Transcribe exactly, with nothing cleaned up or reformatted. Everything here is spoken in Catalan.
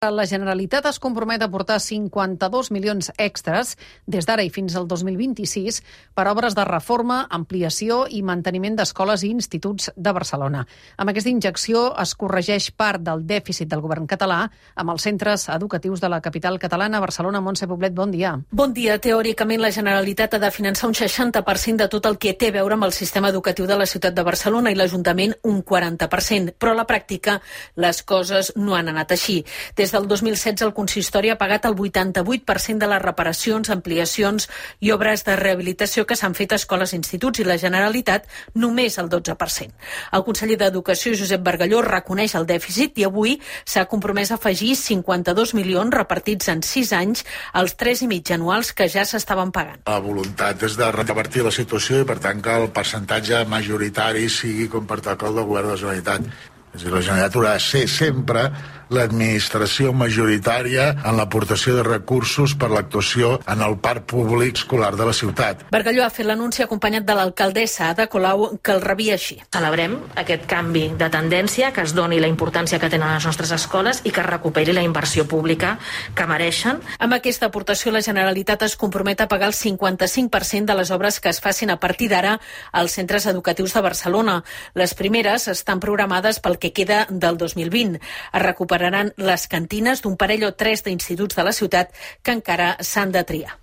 La Generalitat es compromet a aportar cinquanta-dos milions extres des d'ara i fins al dos mil vint-i-sis per obres de reforma, ampliació i manteniment d'escoles i instituts de Barcelona. Amb aquesta injecció es corregeix part del dèficit del govern català amb els centres educatius de la capital catalana. Barcelona, Montse Poblet, bon dia. Bon dia. Teòricament, la Generalitat ha de finançar un seixanta per cent de tot el que té a veure amb el sistema educatiu de la ciutat de Barcelona i l'Ajuntament un quaranta per cent. Però a la pràctica les coses no han anat així. Des Des del dos mil setze el consistori ha pagat el vuitanta-vuit per cent de les reparacions, ampliacions i obres de rehabilitació que s'han fet a escoles i instituts i la Generalitat només el dotze per cent. El conseller d'Educació, Josep Bargalló, reconeix el dèficit i avui s'ha compromès a afegir cinquanta-dos milions repartits en sis anys als tres i mig anuals que ja s'estaven pagant. La voluntat és de revertir la situació i per tant que el percentatge majoritari sigui com pertoca al del govern de la Generalitat. És a dir, la Generalitat haurà de ser sempre l'administració majoritària en l'aportació de recursos per l'actuació en el parc públic escolar de la ciutat. Bargalló ha fet l'anunci acompanyat de l'alcaldessa Ada Colau, que el rebia així. Celebrem aquest canvi de tendència, que es doni la importància que tenen les nostres escoles i que es recuperi la inversió pública que mereixen. Amb aquesta aportació, la Generalitat es compromet a pagar el cinquanta-cinc per cent de les obres que es facin a partir d'ara als centres educatius de Barcelona. Les primeres estan programades pel que queda del dos mil vint. Es recuperaran les cantines d'un parell o tres d'instituts de la ciutat que encara s'han de triar.